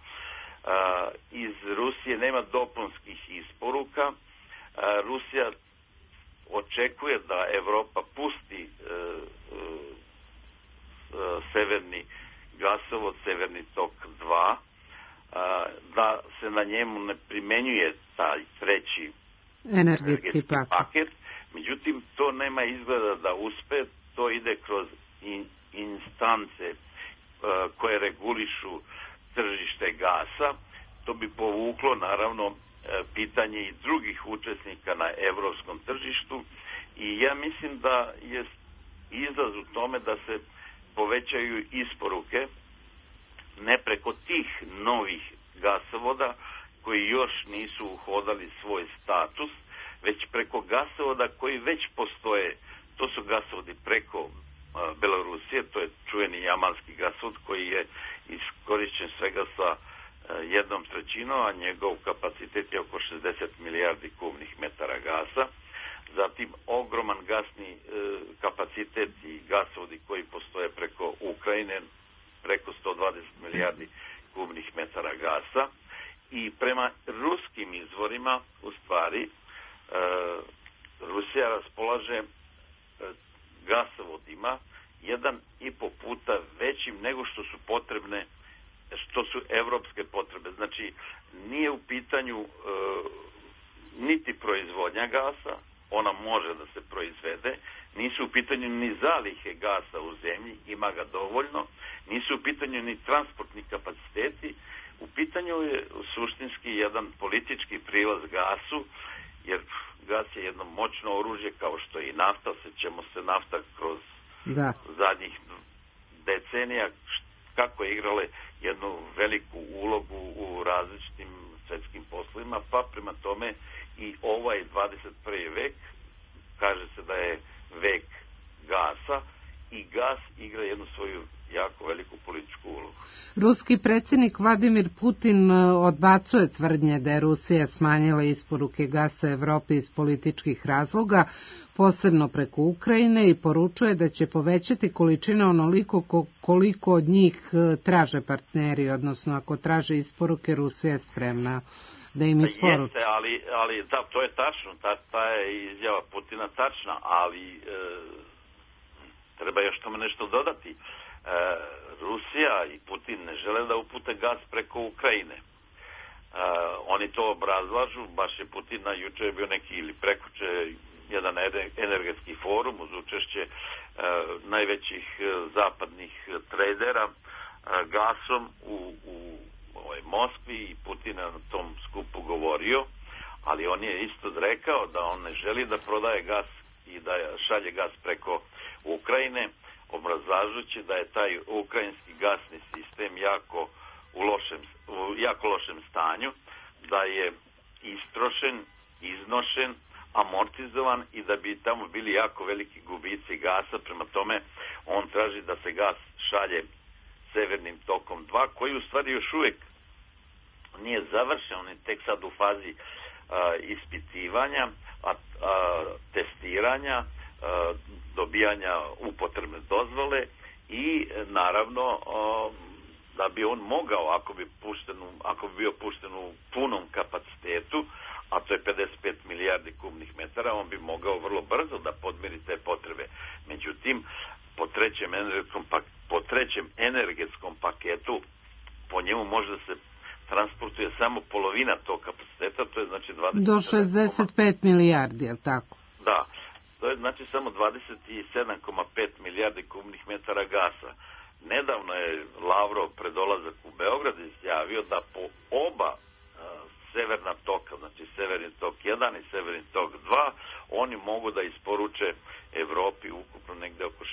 Iz Rusije nema dopunskih isporuka. Rusija očekuje da Evropa pusti severni gasovod, Severni tok 2, da se na njemu ne primenjuje taj treći energetski paket. Međutim, to nema izgleda da uspe, to ide kroz instance koje regulišu tržište gasa. To bi povuklo, naravno, pitanje i drugih učesnika na evropskom tržištu i ja mislim da je izlaz u tome da se povećaju isporuke ne preko tih novih gasovoda koji još nisu uhodali svoj status, već preko gasovoda koji već postoje. To su gasovodi preko Belorusije, to je čuveni jamalski gasovod koji je iskorišćen svega sa 1/3, a njegov kapacitet je oko 60 milijardi kubnih metara gasa. Zatim ogroman gasni kapacitet i gasovodi koji postoje preko Ukrajine, preko 120 milijardi kubnih metara gasa. I prema ruskim izvorima, u stvari, Rusija raspolaže gasovodima 1,5 puta većim nego što su potrebne, što su evropske potrebe. Znači, nije u pitanju niti proizvodnja gasa, ona može da se proizvede, nisu u pitanju ni zalihe gasa u zemlji, ima ga dovoljno, nisu u pitanju ni transportni kapaciteti, u pitanju je suštinski jedan politički prilaz gasu, jer gas je jedno moćno oružje kao što je i nafta, sećamo se nafta kroz zadnjih decenija kako je igrale jednu veliku ulogu u različitim svetskim poslovima, pa prema tome i ovaj 21. vek, kaže se da je vek gasa i gas igra jednu svoju jako veliku političku ulogu. Ruski predsjednik Vladimir Putin odbacuje tvrdnje da je Rusija smanjila isporuke gasa Evropi iz političkih razloga, posebno preko Ukrajine, i poručuje da će povećati količine onoliko koliko od njih traže partneri, odnosno ako traže isporuke, Rusija je spremna da im isporuči. Jeste, ali da, to je tačno, ta je izjava Putina tačna, ali treba još tome nešto dodati. Rusija i Putin ne žele da upute gas preko Ukrajine. Oni to obrazlažu, baš je Putin na juče je bio neki ili prekuče jedan energetski forum uz učešće najvećih zapadnih tradera gasom u Moskvi i Putin na tom skupu govorio, ali on je isto rekao da on ne želi da prodaje gas i da šalje gas preko Ukrajine, obrazlažući da je taj ukrajinski gasni sistem u jako lošem stanju, da je istrošen, iznošen, amortizovan i da bi tamo bili jako veliki gubici gasa. Prema tome on traži da se gas šalje Severnim tokom 2, koji u stvari još uvijek nije završen, on je tek sad u fazi ispitivanja, testiranja, dobijanja upotrebne dozvole i naravno da bi on mogao, ako bi bio pušten u punom kapacitetu, a to je 55 milijardi kubnih metara, on bi mogao vrlo brzo da podmiri te potrebe. Međutim, po trećem energetskom paketu, po njemu može da se transportuje samo polovina tog kapaciteta, to je znači 20... Do 65 milijardi, je li tako? Da, to je znači samo 27,5 milijardi kubnih metara gasa. Nedavno je Lavrov pred dolazak u Beograd izjavio da po oba severna toka, znači Severni tok 1 i Severni tok 2, oni mogu da isporuče Evropi ukupno negde oko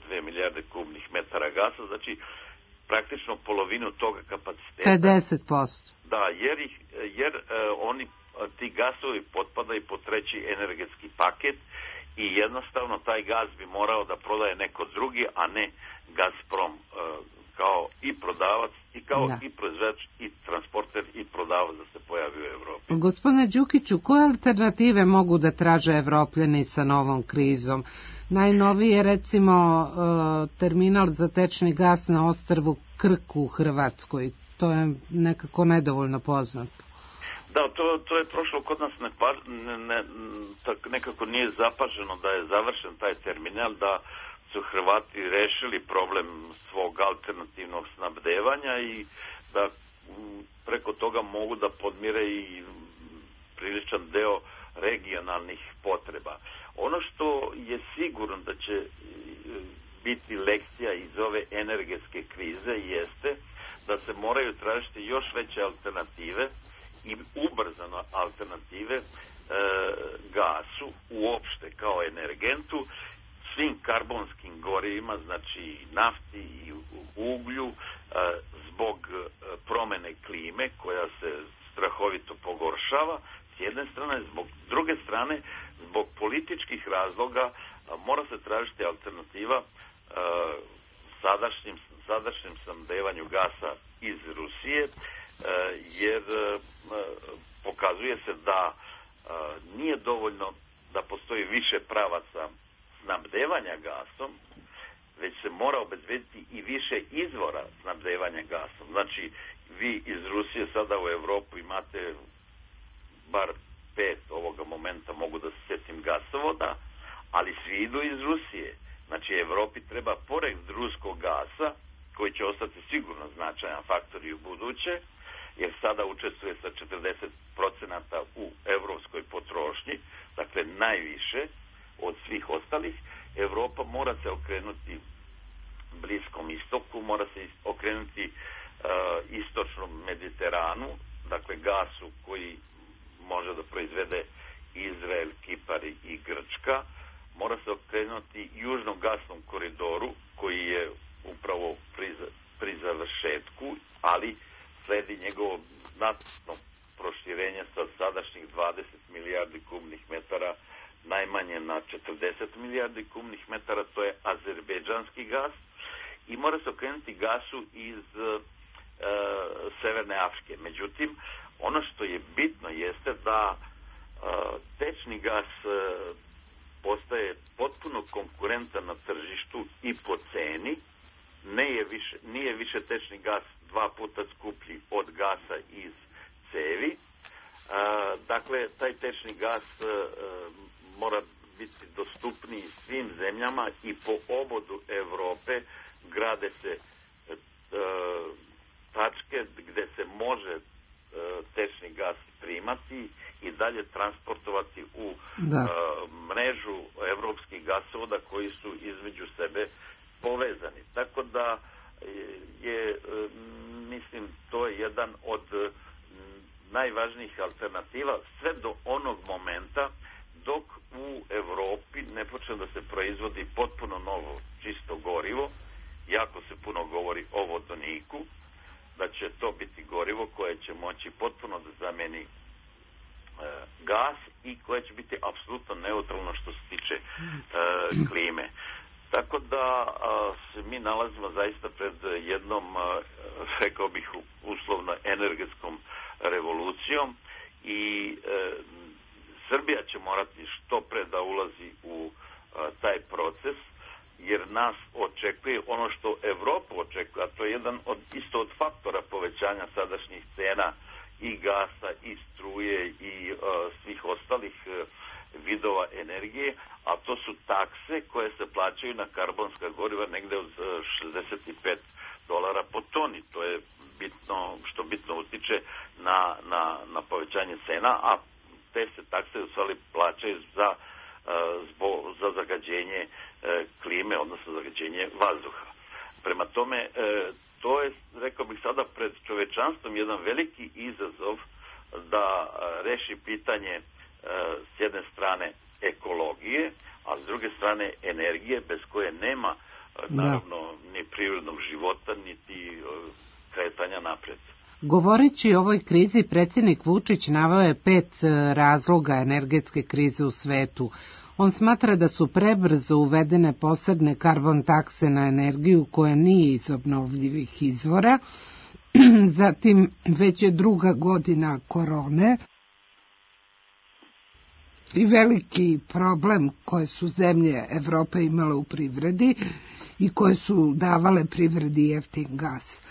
62 milijarde kubnih metara gasa, znači praktično polovinu toga kapaciteta. 50%. Da, jer ih jer ti gasovi potpadaju po treći energetski paket i jednostavno taj gas bi morao da prodaje neko drugi, a ne Gazprom kao i prodavac i kao i proizvođač i transporter i prodavac da se pojavi u Evropi. Gospodine Đukiću, koje alternative mogu da traže Evropljani sa novom krizom? Najnoviji je recimo terminal za tečni gas na ostrvu Krku u Hrvatskoj. To je nekako nedovoljno poznato. Da, to je prošlo kod nas nekako nije zapaženo da je završen taj terminal, da su Hrvati rešili problem svog alternativnog snabdevanja i da preko toga mogu da podmire i priličan deo regionalnih potreba. Ono što je sigurno da će biti lekcija iz ove energetske krize jeste da se moraju tražiti još veće alternative i ubrzano alternative gasu uopšte kao energentu, svim karbonskim gorivima, znači nafti i uglju, zbog promene klime koja se strahovito pogoršava s jedne strane, zbog druge strane, zbog političkih razloga mora se tražiti alternativa sadašnjem snabdevanju gasa iz Rusije, jer pokazuje se da nije dovoljno da postoji više pravaca snabdevanja gasom, već se mora obezbediti i više izvora snabdevanja gasom. Znači, vi iz Rusije sada u Evropu imate bar 5 ovoga momenta, mogu da se sjetim, gasovoda, ali svi idu iz Rusije. Znači, Evropi treba pored ruskog gasa, koji će ostati sigurno značajan faktor i u buduće, jer sada učestvuje sa 40% u evropskoj potrošnji, dakle najviše od svih ostalih. Evropa mora se okrenuti Bliskom istoku, mora se okrenuti istočnom Mediteranu, dakle gasu koji može da proizvede Izrael, Kipar i Grčka, mora se okrenuti južnom gasnom koridoru koji je upravo pri završetku, ali sledi njegovo znatno proširenje sa sadašnjih 20 milijardi kubnih metara najmanje na 40 milijardi kubnih metara, to je azerbejdžanski gas, i mora se okrenuti gasu iz Severne Afrike. Međutim, ono što je bitno jeste da tečni gas postaje potpuno konkurentan na tržištu i po ceni, nije više tečni gas 2 puta skuplji od gasa iz cevi. Dakle, taj tečni gas mora biti dostupniji svim zemljama i po obodu Evrope grade se tačke gde se može tečni gas primati i dalje transportovati u mrežu evropskih gasovoda koji su između sebe povezani. Tako da je, mislim, to je jedan od najvažnijih alternativa sve do onog momenta dok u Evropi ne počne da se proizvodi potpuno novo čisto gorivo. Jako se puno govori o vodoniku, da će to biti gorivo koje će moći potpuno da zameni gas i koje će biti apsolutno neutralno što se tiče klime. Tako da se mi nalazimo zaista pred jednom, rekao bih, uslovno energetskom revolucijom i Srbija će morati što pre da ulazi u taj proces, jer nas očekuje ono što Evropu očekuje, a to je jedan isto od faktora povećanja sadašnjih cena i gasa i struje i svih ostalih vidova energije, a to su takse koje se plaćaju na karbonska goriva negde od $65 po toni. To je bitno, što bitno utiče na povećanje cena, a te se takse u stvari plaćaju za zagađenje klime, odnosno zagađenje vazduha. Prema tome, to je, rekao bih sada, pred čovečanstvom jedan veliki izazov da reši pitanje s jedne strane ekologije, a s druge strane energije, bez koje nema naravno ni prirodnog života, niti kretanja napred. Govoreći o ovoj krizi, predsjednik Vučić naveo je 5 razloga energetske krize u svetu. On smatra da su prebrzo uvedene posebne karbon takse na energiju koja nije iz obnovljivih izvora, zatim već je 2. godina korone i veliki problem koje su zemlje Evrope imale u privredi i koje su davale privredi jeftin gas.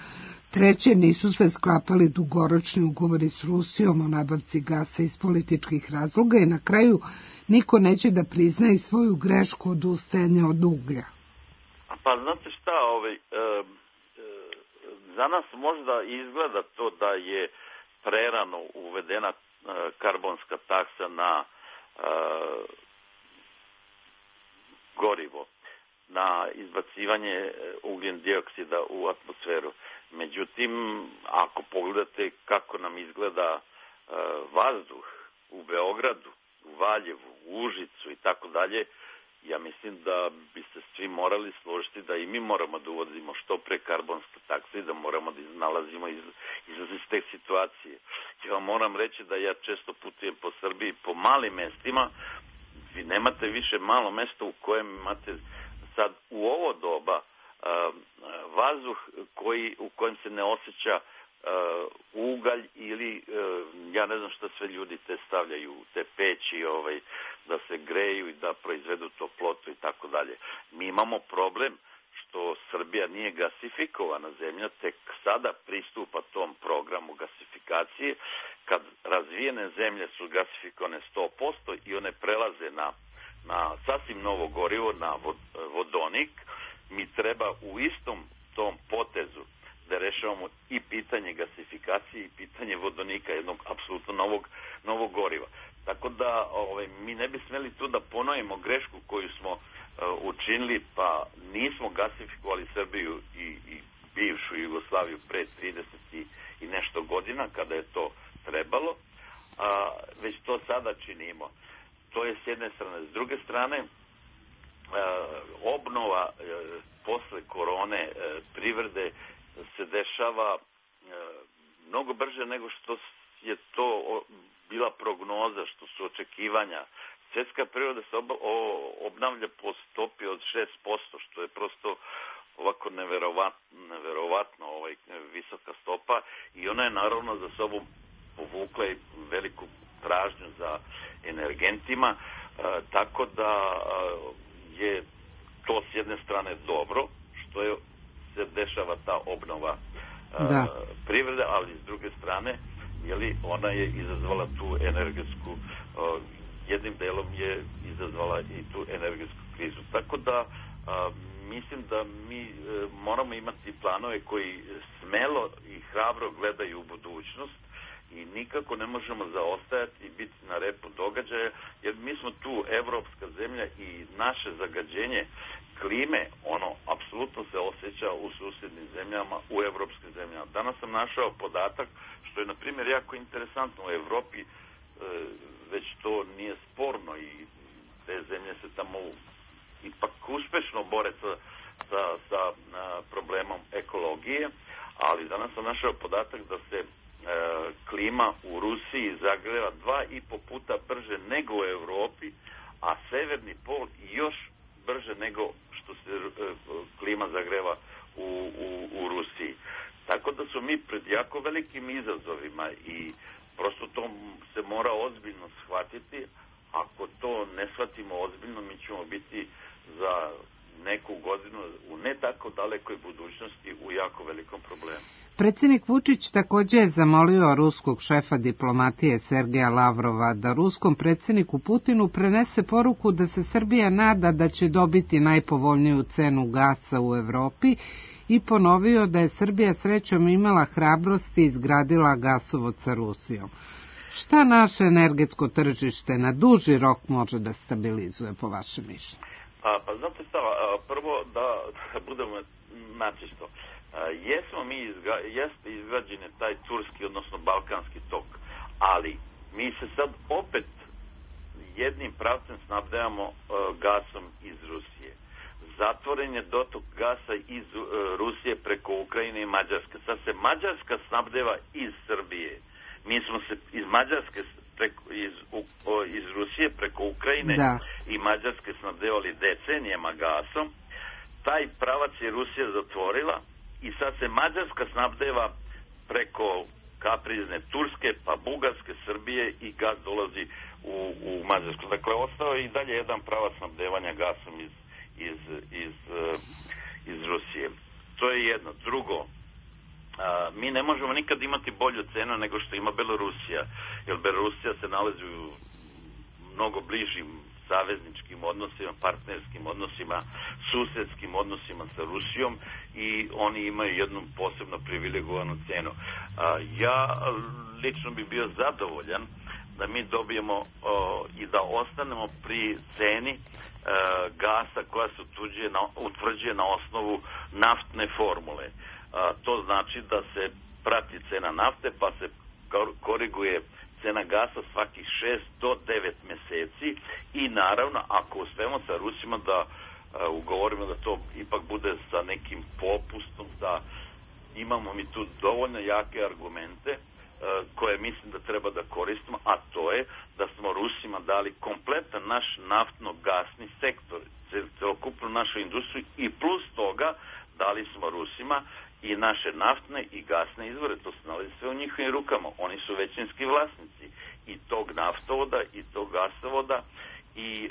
3. nisu se sklapali dugoročni ugovori s Rusijom o nabavci gasa iz političkih razloga i na kraju niko neće da priznaje svoju grešku odustajanja od uglja. Pa znate šta, za nas možda izgleda to da je prerano uvedena karbonska taksa na gorivo, na izbacivanje ugljen dioksida u atmosferu. Međutim, ako pogledate kako nam izgleda vazduh u Beogradu, u Valjevu, u Užicu i tako dalje, ja mislim da bi se svi morali složiti da i mi moramo da uvodimo što pre karbonske takse i da moramo da nalazimo izlaz iz te situacije. Ja vam moram reći da ja često putujem po Srbiji, po malim mestima, vi nemate više malo mesta u kojem imate sad u ovo doba vazduh u kojem se ne osjeća ugalj ili ja ne znam šta sve ljudi te stavljaju u te peći da se greju i da proizvedu toplotu i tako dalje. Mi imamo problem što Srbija nije gasifikovana zemlja, tek sada pristupa tom programu gasifikacije. Kad razvijene zemlje su gasifikovane 100% i one prelaze na sasvim novo gorivo, na vodonik, mi treba u istom tom potezu da rešavamo i pitanje gasifikacije i pitanje vodonika, jednog apsolutno novog goriva. Tako da mi ne bi smeli tu da ponovimo grešku koju smo učinili, pa nismo gasifikovali Srbiju i bivšu Jugoslaviju pre 30 i nešto godina kada je to trebalo, već to sada činimo. To je s jedne strane. S druge strane, obnova posle korone privrede se dešava mnogo brže nego što je to bila prognoza, što su očekivanja. Svjetska privreda se obnavlja po stopi od 6%, što je prosto ovako neverovatno visoka stopa i ona je naravno za sobom povukla i veliku tražnju za energentima, tako da je to s jedne strane dobro, što se dešava ta obnova privrede, ali s druge strane ona je izazvala tu energetsku, jednim delom je izazvala i tu energetsku krizu. Tako da mislim da mi moramo imati planove koji smelo i hrabro gledaju u budućnost i nikako ne možemo zaostajati i biti na repu događaja, jer mi smo tu evropska zemlja i naše zagađenje klime, apsolutno se osjeća u susjednim zemljama, u evropskim zemljama. Danas sam našao podatak, što je, na primjer, jako interesantno u Evropi, već to nije sporno i te zemlje se tamo ipak uspešno bore sa problemom ekologije, ali danas sam našao podatak da se klima u Rusiji zagreva 2,5 puta brže nego u Evropi, a severni pol još brže nego što se klima zagreva u Rusiji. Tako da su mi pred jako velikim izazovima i prosto to se mora ozbiljno shvatiti. Ako to ne shvatimo ozbiljno, mi ćemo biti za neku godinu u ne tako dalekoj budućnosti u jako velikom problemu. Predsjednik Vučić također je zamolio ruskog šefa diplomatije Sergeja Lavrova da ruskom predsjedniku Putinu prenese poruku da se Srbija nada da će dobiti najpovoljniju cenu gasa u Evropi i ponovio da je Srbija srećom imala hrabrosti i izgradila gasovod sa Rusijom. Šta naše energetsko tržište na duži rok može da stabilizuje po vašem mišljenju? Pa znate šta, prvo da budemo načisto. Jeste izgrađen je taj turski, odnosno balkanski tok, ali mi se sad opet jednim pravcem snabdevamo gasom iz Rusije. zatvoren je dotok gasa iz Rusije preko Ukrajine i Mađarske. Sad se Mađarska snabdeva iz Srbije. Mi smo se iz Mađarske iz Rusije preko Ukrajine i Mađarske snabdevali decenijama gasom. Taj pravac je Rusija zatvorila i sad se Mađarska snabdeva preko kaprizne Turske, pa Bugarske, Srbije i gas dolazi u Mađarsku. Dakle, ostao je i dalje jedan pravac snabdevanja gasom iz Rusije. To je jedno. Drugo, mi ne možemo nikad imati bolju cenu nego što ima Belorusija, jer Belorusija se nalazi u mnogo bližim savezničkim odnosima, partnerskim odnosima, susedskim odnosima sa Rusijom i oni imaju jednu posebno privilegovanu cenu. Ja lično bi bio zadovoljan da mi dobijemo i da ostanemo pri ceni gasa koja se utvrđuje na osnovu naftne formule. To znači da se prati cena nafte pa se koriguje cena gasa svakih 6 do 9 meseci i naravno ako uspemo sa Rusima da ugovorimo da to ipak bude sa nekim popustom, da imamo mi tu dovoljno jake argumente koje mislim da treba da koristimo, a to je da smo Rusima dali kompletan naš naftno-gasni sektor, celokupnu našu industriju i plus toga dali smo Rusima i naše naftne i gasne izvore, to se nalazi sve u njihovim rukama. Oni su većinski vlasnici i tog naftovoda i tog gasovoda i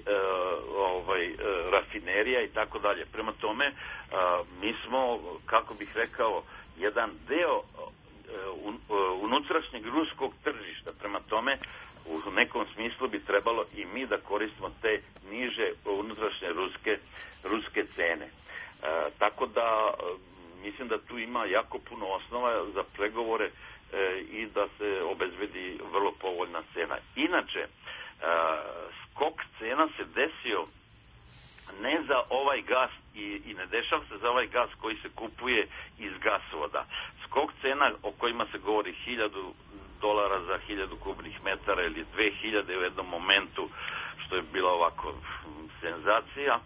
rafinerija i tako dalje. Prema tome, mi smo, kako bih rekao, jedan deo unutrašnjeg ruskog tržišta. Prema tome, u nekom smislu bi trebalo i mi da koristimo te niže unutrašnje ruske cene. Tako da mislim da tu ima jako puno osnova za pregovore i da se obezbedi vrlo povoljna cena. Inače, skok cena se desio ne za ovaj gas i ne dešava se za ovaj gas koji se kupuje iz gasovoda. Skok cena o kojima se govori $1,000 za 1000 kubnih metara ili 2000 u jednom momentu, što je bila ovako senzacija,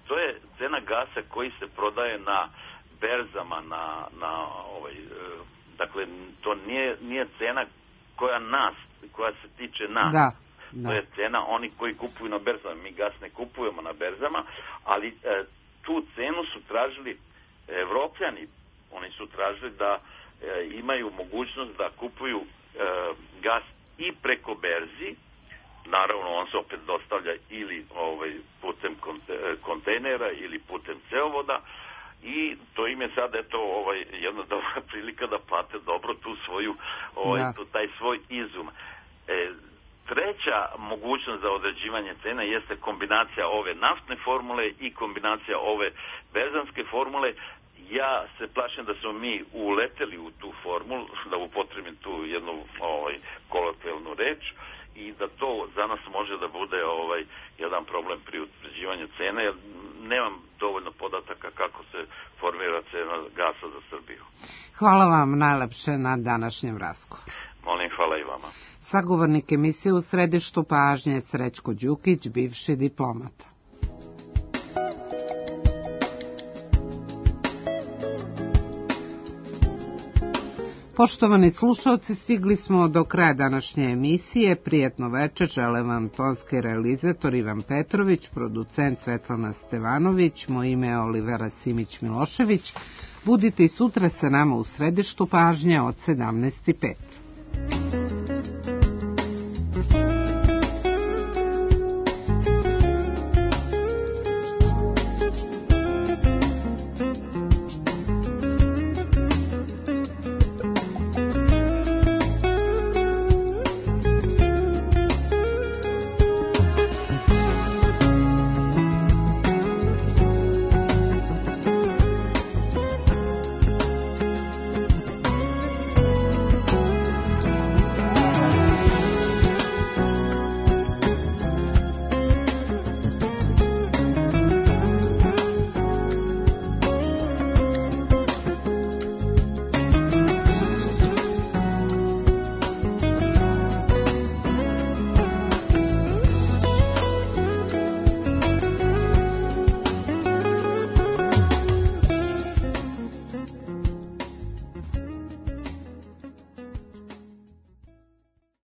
to je cena gasa koji se prodaje na berzama, dakle, to nije cena koja se tiče nas. Da. To je cena oni koji kupuju na berzama. Mi gas ne kupujemo na berzama, ali tu cenu su tražili Evropljani. Oni su tražili da imaju mogućnost da kupuju gas i preko berzi. Naravno, on se opet dostavlja ili putem kontejnera ili putem cevovoda i to im je sad jedna dobra prilika da plate dobro tu svoju taj svoj izum. Treća mogućnost za određivanje cena jeste kombinacija ove naftne formule i kombinacija ove berzanske formule. Ja se plašim da smo mi uleteli u tu formulu, da upotrebim tu jednu kolokvijalnu reč, i da to za nas može da bude jedan problem pri utvrđivanju cene, jer nemam dovoljno podataka kako se formira cena gasa za Srbiju. Hvala vam najlepše na današnjem razgovoru. Molim, hvala i vama. Sagovornik emisije u središtu pažnje Srećko Đukić, bivši diplomata. Poštovani slušalci, stigli smo do kraja današnje emisije. Prijetno večer, žele vam tonski realizator Ivan Petrović, producent Svetlana Stevanović, moje ime je Olivera Simić-Milošević. Budite i sutra sa nama u središtu pažnje od 17:05.